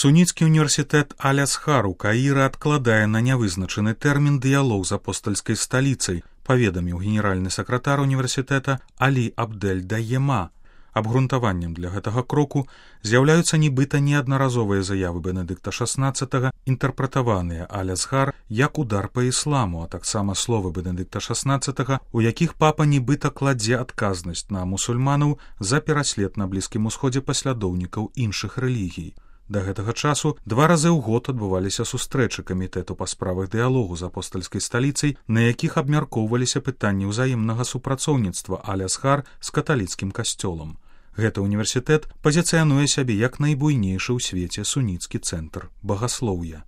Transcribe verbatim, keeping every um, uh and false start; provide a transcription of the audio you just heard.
Суніцкі універсітэт Аль-Азхар у Каіры адкладае на нявызначаны тэрмін дыялог з апостальскай сталіцай, паведаміў генеральны сакратар універсітэта Алі Абдель Даема. Абгрунтаваннем для гэтага кроку з'яўляюцца нібыта неаднаразовыя заявы Бенедыкта шаснаццатага, інтэрпрэтаваныя Аль-Азхар як удар па ісламу, а таксама словы Бенедыкта шаснаццатага, у якіх папа нібыта кладзе адказнасць на мусульманаў за пераслед на Блізкім Усходзе паслядоўнікаў іншых рэлігій. Да гэтага часу два разы ў год адбываліся сустрэчы камітэту па справах дыялогу з апостальскай сталіцай, на якіх абмяркоўваліся пытанні ўзаемнага супрацоўніцтва Аль-Азхар з каталіцкім касцёлам. Гэты універсітэт пазіцыянуе сябе як найбуйнейшы ў свеце суніцкі цэнтр багаслоўя.